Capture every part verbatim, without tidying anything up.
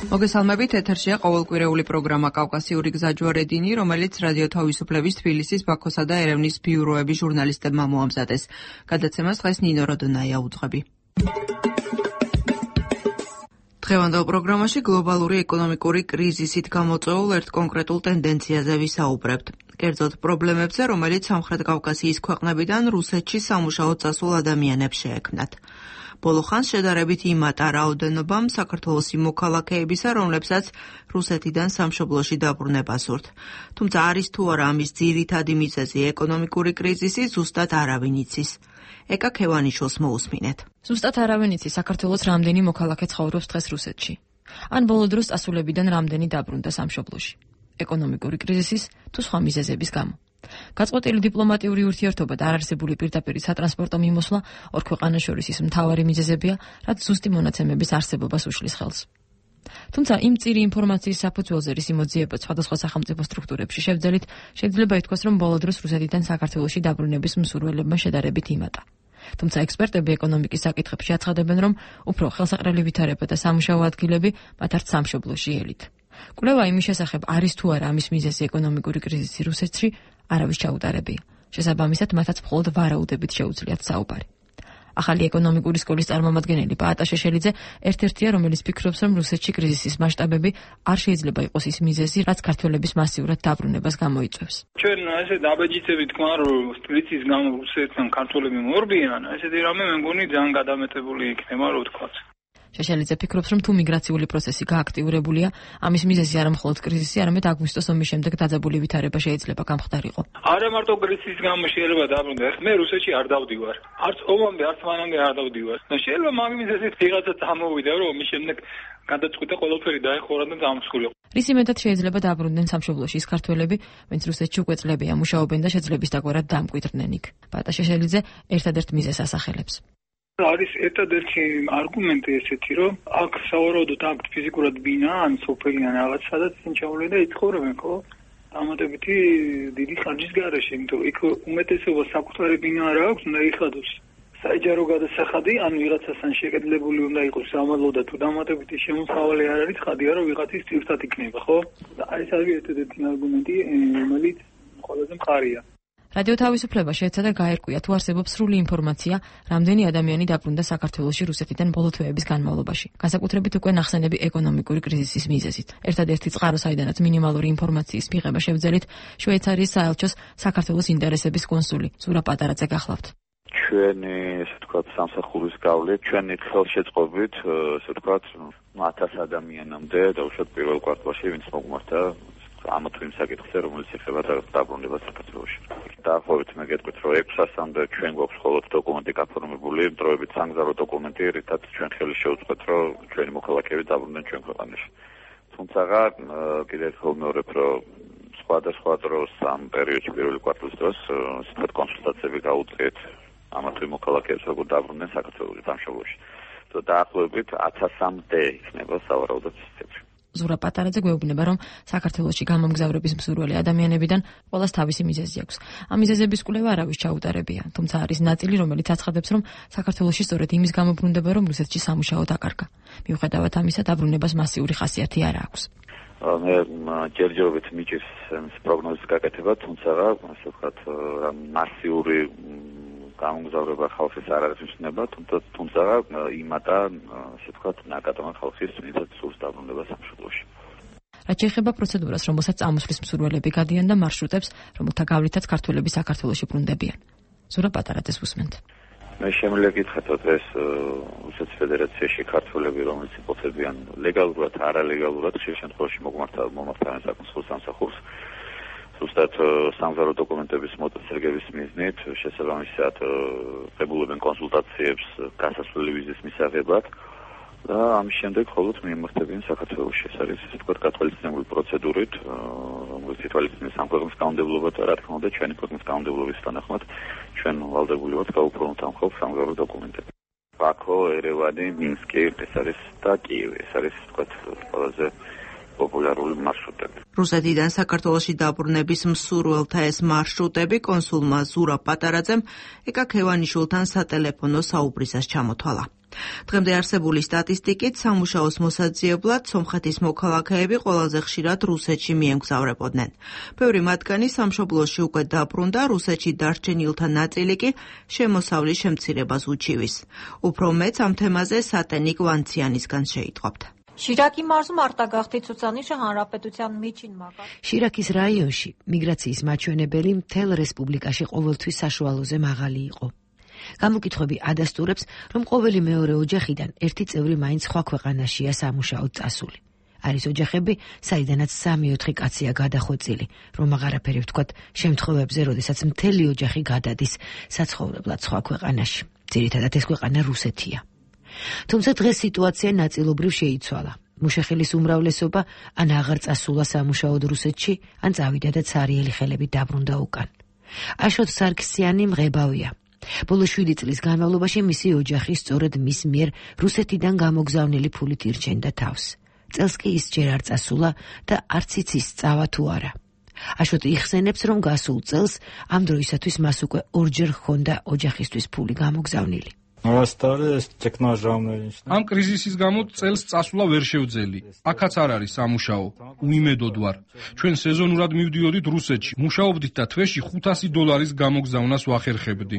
მოგესალმებით, ეთერშია ყოველკვირეული პროგრამა კავკასიური გზაჯვარედინი, რომელიც რადიო თავისუფლების თბილისის, ბაქოსა და ერევნის ბიუროების ჟურნალისტებმა მოამზადეს. გადაცემას დღეს ნინო როდონაია უძღვები. დღევანდელ პროგრამაში გლობალური ეკონომიკური კრიზისით გამოწვეულ ერთ კონკრეტულ ტენდენციაზე ვისაუბრებთ. კერძოდ პრობლემებზე, რომელიც სამხრეთ კავკასიის ქვეყნებიდან რუსეთში სამუშაოდ წასულ ადამიანებს შეექმნათ. ბოლო ხანს შედარებით იმატა რაოდენობამ საქართველოსი მოქალაქეებისა, რომლებსაც რუსეთიდან სამშობლოში დაბრუნება სურთ. თუმცა არის თუ არა ამის ძირითადი მიზეზი ეკონომიკური კრიზისი, ზუსტად არავინ იცის. ეკა ქევანიშვილს მოусმინეთ. ზუსტად არავინ იცის საქართველოს რამდენი მოქალაქე ცხოვრობს დღეს რუსეთში. ან ბოლო დროს წასულებიდან რამდენი დაბრუნდა სამშობლოში. ეკონომიკური კრიზისის თუ სხვა მიზეზების გამო. გაწყვეტილი დიპლომატიური ურთიერთობა და არარსებული პირდაპირ სატრანსპორტო მიმოსვლა ორ ქვეყანას შორის ის მთავარი მიზეზებია, რაც ზუსტი მონაცემების არსებობას უშლის ხელს. თუმცა იმ წირი ინფორმაციის საფუძველზე რის იმოძიებაც სხვადასხვა სახელმწიფო სტრუქტურებში შევძელით, შეიძლება ითქვას, რომ ბოლო დროს რუსეთიდან საქართველოში დაბრუნების მსურველებმა შედარებით იმატა. თუმცა ექსპერტები ეკონომიკის საკითხებში აცხადებენ, რომ უფრო ხელსაყრელი ვითარება და სამუშაო ადგილები მათ არც სამშობლოში ელით. კვლევა იმის შესახებ არის თუ არა ამის მიზეზი ეკონომიკური კრიზისი რუსეთში, არავის ჩაუტარებია. შესაბამისად, მათაც მხოლოდ ვარაუდებით შეუძლიათ საუბარი. ახალი ეკონომიკური სკოლის წარმომადგენელი პაატა შეშელიძე ერთ-ერთია, რომელიც ფიქრობს, რომ რუსეთში კრიზისის მასშტაბები არ შეიძლება იყოს ის მიზეზი, რაც ქართველების მასიურად დაბრუნებას გამოიწვევს. ჩვენ ესე დაბეჯითებით თქვა, რომ კრიზისის გამო რუსეთთან ქართველები მორბიან, ესეთი რამე მე მგონი ძალიან გადამეტებული იქნება, რო ვთქვა. შეშელიძე ფიქრობს, რომ თუ მიგრაციული პროცესი გააქტიურებულია, ამის მიზეზი არა მხოლოდ კრიზისი, არამედ აგვისტოს ომის შემდეგ დაძაბული ვითარება შეიძლება გამხდარიყო. არა მარტო კრიზისის გამო შეიძლება დაბრუნდეს, მე რუსეთში არ დავდივარ. არც ომამდე, არც მანამდე არ დავდივარ. და შეიძლება მაგ მიზეზით ვიღაცა წამოვიდა, რომ ომის შემდეგ გადაწყვიტა ყველაფერი დაეხურა და დამსხვრილო. რის იმედად შეიძლება დაბრუნდნენ სამშობლოში ის ქართველები, ვინც რუსეთში უკვე წლებია მუშაობენ და შეძლების დაგვარად დამკვიდრდნენ იქ. პაატა შეშელიძე ერთადერთ მიზეზს ასახელებს. არის ერთადერთი არგუმენტი ესეთი, რომ აქ სავარაუდოდ აქ ფიზიკურად ბინა ან სოფელი ან რაღაც სადაც წინჩაული და იცხოვრებენ, ხო? დამატებითი დიდი ხარჯის გარეშე, იმიტომ იქ უმეტესობა საკუთარი ბინა არ აქვს, უნდა იხადოს საჯარო გადასახადი, ან ვიღაცასთან შეკედლებული უნდა იყოს სამალო და თუ დამატებითი შემოსავალი არ არის, ხადია რომ ვიღაცის წირთად იქნება, ხო? და ეს არის ერთადერთი არგუმენტი, რომელიც ყველაზე მყარია. რადიო თავისუფლება შეეცადა გაერკვია, თუ არსებობს სრული ინფორმაცია, რამდენი ადამიანი დაბრუნდა საქართველოში რუსეთიდან ბოლო თვეების განმავლობაში. განსაკუთრებით უკვე ნახსენები ეკონომიკური კრიზისის მიზეზით. ერთადერთი წყარო, საიდანაც მინიმალური ინფორმაციის მიღება შევძელით, შვეიცარიის საელჩოს საქართველოს ინტერესების კონსული ზურა პატარაძე გახლავთ. ჩვენი, ესე ვთქვათ, სამსახურის გავლით, ჩვენი ხელშეწყობით, ესე ვთქვათ, ათას ადამიანამდე დაუშვათ პირველ კვარტალში, ვინც მოგმართა ამა თუ იმ საკითხზე, რომელიც ეხება დაბრუნება საქართველოში. დაახლოებით მე გეტყვით, რომ ექვს ასამდე ჩვენ გვაქვს მხოლოდ დოკუმენტი გაფორმებული, დროებით სამგზავრო დოკუმენტი, რითაც ჩვენ ხელი შევუწყეთ, რომ ჩვენი მოქალაქეები დაბრუნდნენ ჩვენ ქვეყანაში. თუმცა კიდევ ერთხელ ვმეორებ, რომ სხვადასხვა დროს ამ პერიოდში პირველი კვარტალის დროს სწორედ კონსულტაციები გაუწიეთ ამა თუ იმ მოქალაქეებს, როგორ დაბრუნდნენ საქართველოში, სამშობლოში. და დაახლოებით ათასამდე იქნება სავარაუდოდ ციფრი. ზურა პატარაძე გვეუბნება, რომ საქართველოში გამომგზავრების მსურველი ადამიანებიდან ყველას თავისი მიზეზი აქვს. ამ მიზეზების კვლევა არავის ჩაუტარებია, თუმცა არის ნაწილი, რომელიც აცხადებს, რომ საქართველოში სწორედ იმის გამო ბრუნდება, რომ რუსეთში სამუშაო დაკარგა. მიუხედავად ამისა, დაბრუნებას მასიური ხასიათი არ აქვს. მე ჯერჯერობით მიჭირს პროგნოზის გაკეთება, თუმცა ასე ვთქვათ, მასიური გამომგზავრება ხალხის არ არის მნიშვნელობა, თუმცა იმატა, ასე ვთქვათ, ნაკადმა ხალხის ვინცაც სურს დაბრუნება სამშობლოში. რაც შეეხება პროცედურას, რომელსაც წამოსვლის მსურველები გადიან და მარშრუტებს, რომელთა გავლითაც ქართველები საქართველოში ბრუნდებიან. ზურა პატარაძეს უსმენთ. მე შემიძლია გითხრათ, რომ ეს რუსეთის ფედერაციაში ქართველები, რომელიც იმყოფებიან ლეგალურად, არალეგალურად, ხშირ შემთხვევაში მომართავენ საკონსულო სამსახურს, ზუსტად სამგზავრო დოკუმენტების მოწესრიგების მიზნით, შესაბამისად ღებულობენ კონსულტაციებს გასასვლელი ვიზის მისაღებად და ამის შემდეგ მხოლოდ მიემართებიან საქართველოში. ეს არის ისე ვთქვათ გათვალისწინებული პროცედურით, რომელიც ითვალისწინებს ამ ქვეყნის კანონმდებლობა და რა თქმა უნდა ჩვენი ქვეყნის კანონმდებლობის თანახმად ჩვენ ვალდებული ვართ გავუფორმოთ ამ ხალხს სამგზავრო დოკუმენტები. ბაქო, ერევანი, მინსკი, ეს არის და კიევი. ეს არის ვთქვათ ყველაზე პოპულარული მარშრუტები. რუსეთიდან საქართველოში დაბრუნების მსურველთა ეს მარშრუტები კონსულმა ზურა პატარაძემ ეკა ქევანიშვილთან სატელეფონო საუბრისას ჩამოთვალა. დღემდე არსებული სტატისტიკით სამუშაოს მოსაძიებლად სომხეთის მოქალაქეები ყველაზე ხშირად რუსეთში მიემგზავრებოდნენ. ბევრი მათგანი სამშობლოში უკვე დაბრუნდა, რუსეთში დარჩენილთა ნაწილი კი შემოსავლის შემცირებას უჩივის. უფრო მეც ამ თემაზე სატენიკ ვანციანისგან შეიტყობთ. Շիրակի մարզում արտագաղթի ցուցանիշը հանրապետության միջին մակարդակի. Շիրակის რაიონში მიგრაციის მაჩვენებელი მთელ რესპუბლიკაში ყოველთვის საშუალოზე მაღალი იყო. გამოკითხვები ადასტურებს, რომ ყოველი მეორე ოჯახიდან ერთი წევრი მაინც სხვა ქვეყანაშია სამუშაოდ წასული. არის ოჯახები, საიდანაც სამი-ოთხი კაცია გადახვეწილი, რომ აღარაფერი ვთქვათ შემთხვევებზე, როდესაც მთელი ოჯახი გადადის საცხოვრებლად სხვა ქვეყანაში. ძირითადად ეს ქვეყანა რუსეთია. თუმცა დღეს სიტუაცია ნაწილობრივ შეიცვალა. მუშახელის უმრავლესობა ან აღარ წასულა სამუშაოდ რუსეთში, ან წავიდა და ცარიელი ხელები დაბრუნდა უკან. აშოტ სარქსიანი მღებავია. ბოლო შვიდი წლის განმავლობაში მისი ოჯახი სწორედ მის მიერ რუსეთიდან გამოგზავნილი ფულით ირჩენდა თავს. წელს კი ის ჯერ არ წასულა და არც იცის წავა თუ არა. აშოტი იხსენებს, რომ გასულ წელს ამ დროისათვის მას უკვე ორჯერ ჰქონდა ოჯახისთვის ფული გამოგზავნილი. ამ კრიზისის გამო წელს წასვლა ვერ შევძელი. აქაც არ არის სამუშაო. უიმედოდ ვარ. ჩვენ სეზონურად მივდიოდით რუსეთში. მუშაობდით და თვეში ხუთასი დოლარის გამოგზავნას ვახერხებდი.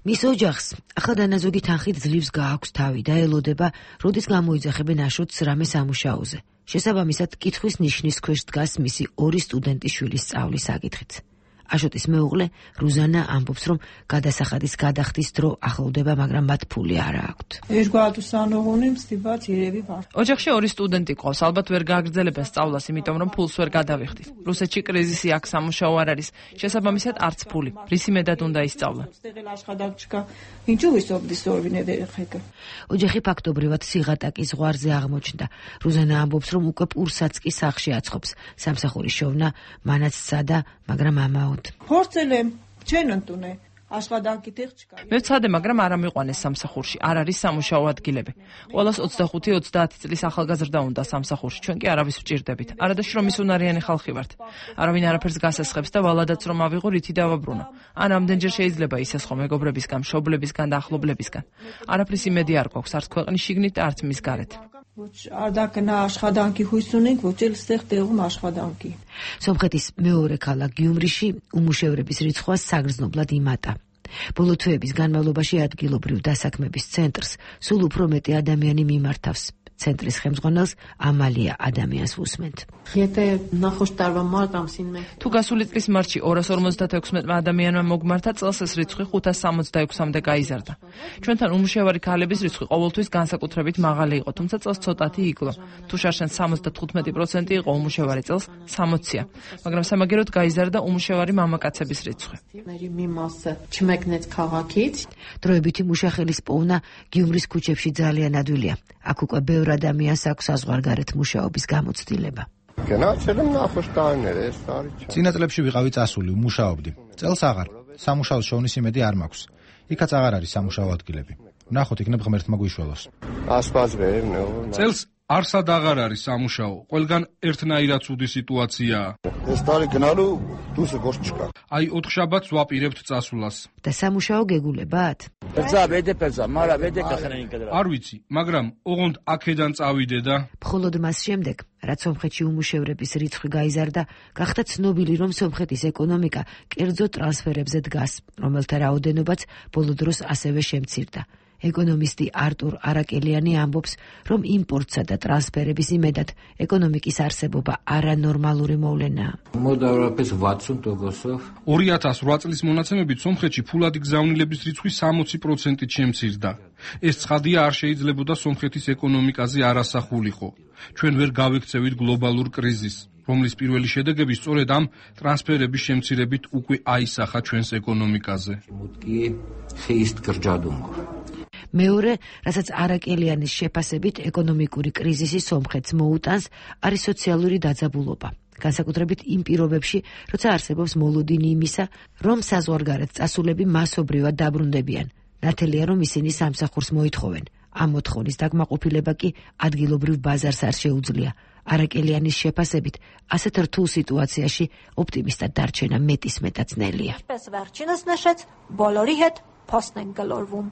მის ოჯახს ახლა დანაზოგი თანხით ძლივს გააქვს თავი და ელოდება, როდის გამოიძახებენ აშოტს რამე სამუშაოზე. შესაბამისად, კითხვის ნიშნის ქვეშ დგას მისი ორი სტუდენტის შვილის სწავლის საკითხიც. აშოტის მეუღლე რუზანა ამბობს, რომ გადასახადის გადახდის დრო ახლოვდება, მაგრამ მათ ფული არ აქვთ. ოჯახში ორი სტუდენტი ყავს, ალბათ ვერ გააგრძელებენ სწავლას, იმიტომ რომ ფულს ვერ გადავიხდით. რუსეთში კრიზისი აქვს, სამუშაო არ არის, შესაბამისად არც ფული. რისი მეტად უნდა ისწავლონ. ოჯახი ფაქტობრივად სიღატაკის ზღვარზე აღმოჩნდა. რუზანა ამბობს, რომ უკვე პურსაც კი სახლში აცხობს. სამსახურის შოვნა მანაც სცადა, მაგრამ ამაოდ მე ვცადე, მაგრამ არ ამიყვანეს სამსახურში. არ არის სამუშაო ადგილები. ყველას ოცდახუთი ოცდაათი წლის ახალგაზრდა უნდა სამსახურში. ჩვენ კი არავის ვჭირდებით. არადაშ რომ ის უნარიანი ხალხი ვართ. არავინ არაფერს გასესხებს და ვალადაც რომ ავიღო, რითი დავაბრუნო. ან ამდენჯერ შეიძლება ისესხო მეგობრებისგან, მშობლებისგან და ახლობლებისგან. არაფრის იმედი არ გვაქვს, არც ქვეყნის შიგნით და არც მის გარეთ. სომხეთის მეორე ქალაქ გიუმრიში უმუშევრების რიცხვა საგრძნობლად იმატა. ბოლო თვეების განმავლობაში ადგილობრივ დასაქმების ცენტრს სულ უფრო მეტი ადამიანი მიმართავს. ცენტრის ხელმძღვანელს ამალია ადამიანს უსმენთ. თუ გასული წლის მარტში ორას ორმოცდათექვსმეტმა ადამიანმა მოგმართა, წელს ეს რიცხვი ხუთას სამოცდაექვსამდე გაიზარდა. ჩვენთან უმუშევარი ქალების რიცხვი ყოველთვის განსაკუთრებით მაღალი იყო, თუმცა წელს ცოტათი იკლო. თუ შარშან სამოცდათხუთმეტი პროცენტი იყო უმუშევარი, წელს სამოცია, მაგრამ სამაგეროდ გაიზარდა უმუშევარი მამაკაცების რიცხვი. დროებითი მუშახელის პოვნა გიუმრის ქუჩებში ძალიან ადვილია. აქ უკვე ბევრ ადამიანს აქვს საზღვარგარეთ მუშაობის გამოცდილება. წინა წლებში ვიყავი წასული, მუშაობდი. წელს აღარ. სამუშაოს შოვნის იმედი არ მაქვს. იქაც აღარ არის სამუშაო ადგილები. ვნახოთ, იქნებ ღმერთმა გვიშველოს. წელს არსად აღარ არის სამუშაო. ყველგან ერთნაირად ცუდი სიტუაციაა. აი ოთხშაბათს ვაპირებთ წასვლას. და სამუშაო გეგულებათ? არ ვიცი, მაგრამ ოღონდ აქედან წავიდე და მხოლოდ მას შემდეგ, რაც სომხეთში უმუშევრების რიცხვი გაიზარდა, გახდა ცნობილი, რომ სომხეთის ეკონომიკა კერძო ტრანსფერებზე დგას, რომელთა რაოდენობაც ბოლო დროს ასევე შემცირდა. ეკონომისტი არტურ არაკელიანი ამბობს, რომ იმპორტსა და ტრანსფერების იმედად ეკონომიკის არსებობა არანორმალური მოვლენაა. ორი ათას რვა წლის მონაცემებით სომხეთში ფულადი გზავნილების რიცხვი სამოცი პროცენტით შემცირდა. ეს ცხადია არ შეიძლებოდა სომხეთის ეკონომიკაზე არასახულიყო. ჩვენ ვერ გავიქცევით გლობალურ კრიზისს, რომლის პირველი შედეგები სწორედ ამ ტრანსფერების შემცირებით უკვე აისახა ჩვენს ეკონომიკაზე. მეორე, რასაც არაკელიანის შეფასებით ეკონომიკური კრიზისი სომხეთს მოუტანს, არის სოციალური დაძაბულობა. განსაკუთრებით იმ პირობებში, როცა არსებობს მოლოდინი იმისა, რომ საზღვარგარეთ წასულები მასობრივად დაბრუნდებიან. ნათელია, რომ ისინი სამსახურს მოითხოვენ. ამ მოთხოვნის დაკმაყოფილება კი ადგილობრივ ბაზარს არ შეუძლია. არაკელიანის შეფასებით, ასეთ რთულ სიტუაციაში ოპტიმისტად დარჩენა მეტისმეტად ძნელია. փոստն են գլորվում։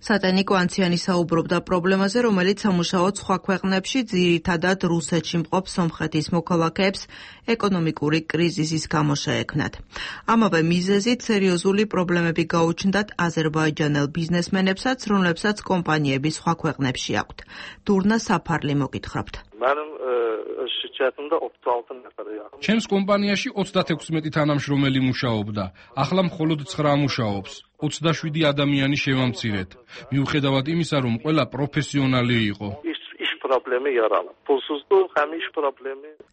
სატენი კვანციანი საუბრობდა პრობლემაზე, რომელიც სამუშაოდ სხვა ქვეყნებში, ძირითადად რუსეთში მყოფ სომხეთის მოქალაქეებს ეკონომიკური კრიზისის გამო შეექმნათ. ამავე მიზეზით სერიოზული პრობლემები გაუჩნდათ აზერბაიჯანელ ბიზნესმენებსაც, რომლებსაც კომპანიები სხვა ქვეყნებში აქვთ. დურნა საფარლი მოგითხრობთ. ჩემს კომპანიაში ოცდათექვსმეტი თანამშრომელი მუშაობდა, ახლა მხოლოდ ცხრა მუშაობს. ოცდაშვიდი ადამიანი შევამცირეთ. მიუხედავად იმისა, რომ ყველა პროფესიონალი იყო.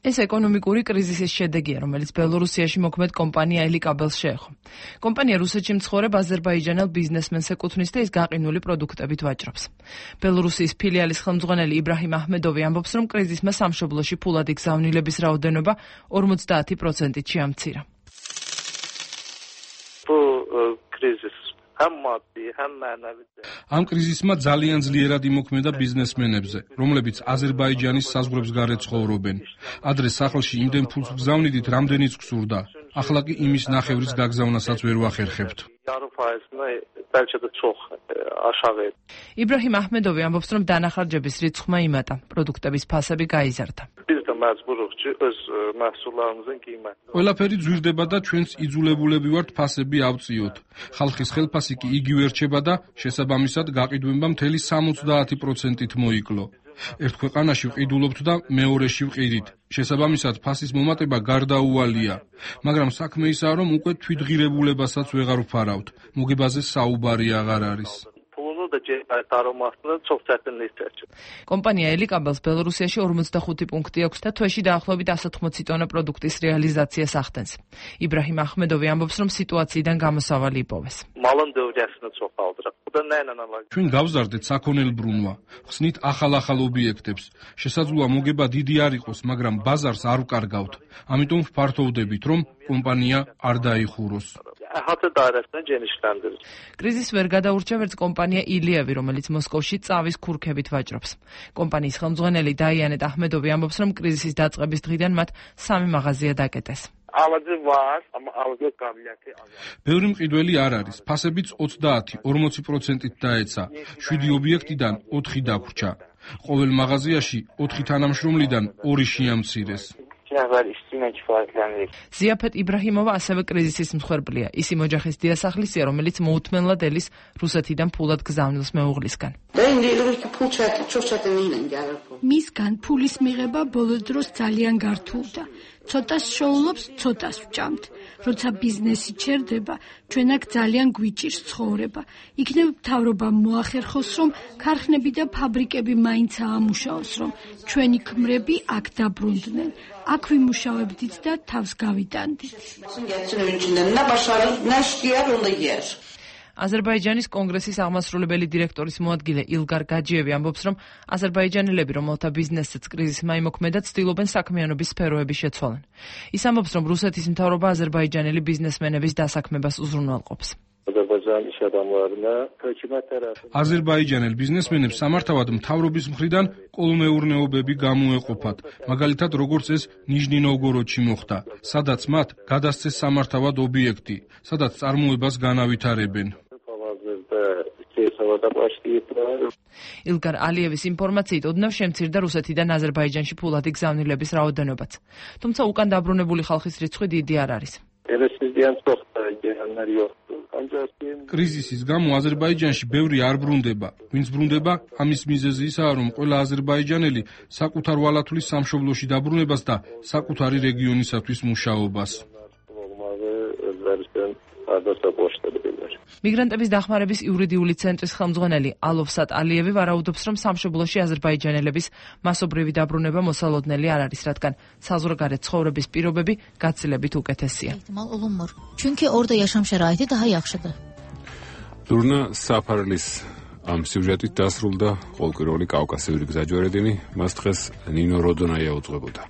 ეს ეკონომიკური კრიზისის შედეგია, რომელიც ბელორუსიაში მოქმედ კომპანია ელიკაბელს შეეხო. კომპანია რუსეთში მცხოვრებ აზერბაიჯანელ ბიზნესმენს ეკუთვნის და ის გაყინული პროდუქტებით ვაჭრობს. ბელორუსიის ფილიალის ხელმძღვანელი იბრაჰიმ აჰმედოვი ამბობს, რომ კრიზისმა სამშობლოში ფულადი გზავნილების რაოდენობა ორმოცდაათი პროცენტით შეამცირა. ამ კრიზისმა ძალიან ძლიერად იმოქმედა ბიზნესმენებზე, რომლებიც აზერბაიჯანის საზღვრებს გარეთ ცხოვრობენ. ადრე სახლში იმდენ ფულს გზავნიდით, რამდენიც გსურდა. ახლა კი იმის ნახევრის გაგზავნასაც ვერ ვახერხებთ. იბრაჰიმ აჰმედოვი ამბობს, რომ დანახარჯების რიცხვმა იმატა, პროდუქტების ფასები გაიზარდა. ყველაფერი ძვირდება და ჩვენც იძულებულები ვართ ფასები ავწიოთ. ხალხის ხელფასი კი იგივე რჩება და შესაბამისად გაყიდვება მთელი სამოცდაათი პროცენტით მოიკლო. ერთ ქვეყანაში ვყიდულობთ და მეორეში ვყიდით. შესაბამისად ფასის მომატება გარდაუვალია. მაგრამ საქმე ისაა, რომ უკვე თვითღირებულებასაც ვეღარ ვფარავთ. მოგებაზე საუბარი აღარ არის. კომპანია ელიკაბელს ბელორუსიაში ორმოცდახუთი პუნქტი აქვს და თვეში დაახლოებით ასი ოცდაოთხ ტონა პროდუქტის რეალიზაციას ახდენს. იბრაჰიმ აჰმედოვი ამბობს, რომ სიტუაციიდან გამოსავალი იპოვეს. ჩვენ გავზარდეთ საქონელბრუნვა, ხსნით ახალ-ახალ ობიექტებს. შესაძლოა მოგება დიდი არ იყოს, მაგრამ ბაზარს არ ვკარგავთ. ამიტომ ვფართოვდებით, რომ კომპანია არ დაიხუროს. კრიზის ვერ გადაურჩა ვერც კომპანია ილიევი, რომელიც მოსკოვში წავის ქურქებით ვაჭრობს. კომპანიის ხელმძღვანელი დაიანეტ აჰმედოვი ამბობს, რომ კრიზისის დაწყების დღიდან მათ სამი მაღაზია დაკეტეს. ბევრი მყიდველი არ არის, ფასებიც ოცდაათი ორმოცი პროცენტით დაეცა. შვიდი ობიექტიდან ოთხი დაგვრჩა. ყოველ მაღაზიაში ოთხი თანამშრომლიდან ორი შეამცირეს. ზიაფეთ იბრაჰიმოვა ასევე კრიზისის მსხვერპლია. ისი ოჯახის დიასახლისია, რომელიც მოუთმენლად ელის რუსეთიდან ფულად გზავნილს მეუღლისგან. მისგან ფულის მიღება ბოლო დროს ძალიან გართულდა. ცოტას შოულობს, ცოტას ვჭამთ. როცა ბიზნესი ჩერდება, ჩვენ აქ ძალიან გვიჭირს ცხოვრება. იქნებ მთავრობამ მოახერხოს, რომ ქარხნები და ფაბრიკები მაინც აამუშაოს, რომ ჩვენი ქმრები აქ დაბრუნდნენ. აქ ვიმუშავებდით და თავს გავიტანდით. აზერბაიჯანის კონგრესის აღმასრულებელი დირექტორის მოადგილე ილგარ გაჯიევი ამბობს, რომ აზერბაიჯანელები, რომელთა ბიზნესსაც კრიზისმა იმოქმედა, ცდილობენ საქმიანობის სფეროების შეცვალენ. ის ამბობს, რომ რუსეთის მთავრობა აზერბაიჯანელი ბიზნესმენების დასაქმებას უზრუნველყოფს. აზერბაიჯანელ ბიზნესმენებს სამართავად მთავრობის მხრიდან კოლმეურნეობები გამოეყოფათ, მაგალითად როგორც ეს ნიჟნი-ნოვგოროდში მოხდა, სადაც მათ გადასცეს სამართავად ობიექტი, სადაც წარმოებას განავითარებენ. ილგარ ალიევის ინფორმაციით ოდნავ შემცირდა რუსეთიდან აზერბაიჯანში ფულადი გზავნილების რაოდენობაც. თუმცა უკან დაბრუნებული ხალხის რიცხვი დიდი არ არის. კრიზისის გამო აზერბაიჯანში ბევრი არ ბრუნდება. ვინც ბრუნდება, ამის მიზეზი ისაა, რომ ყველა აზერბაიჯანელი საკუთარ ვალათulis სამშობლოში დაბრუნებას და საკუთარი რეგიონისათვის მუშაობას. მიგრანტების დახმარების იურიდიული ცენტრის ხელმძღვანელი ალოვსატ ალიევი ვარაუდობს, რომ სამშობლოში აზერბაიჯანელების მასობრივი დაბრუნება მოსალოდნელი არ არის, რადგან საზღვარგარეთ ცხოვრების პირობები გაცილებით უკეთესია. Çünkü orada yaşam şəraiti daha yaxşıdır. Durna Saparlis am სიუჟეტით დასრულდა ყოველკვირეული კავკასიური გზაჯვარედინი, მას დღეს ნინო როდონაია უძღვებოდა.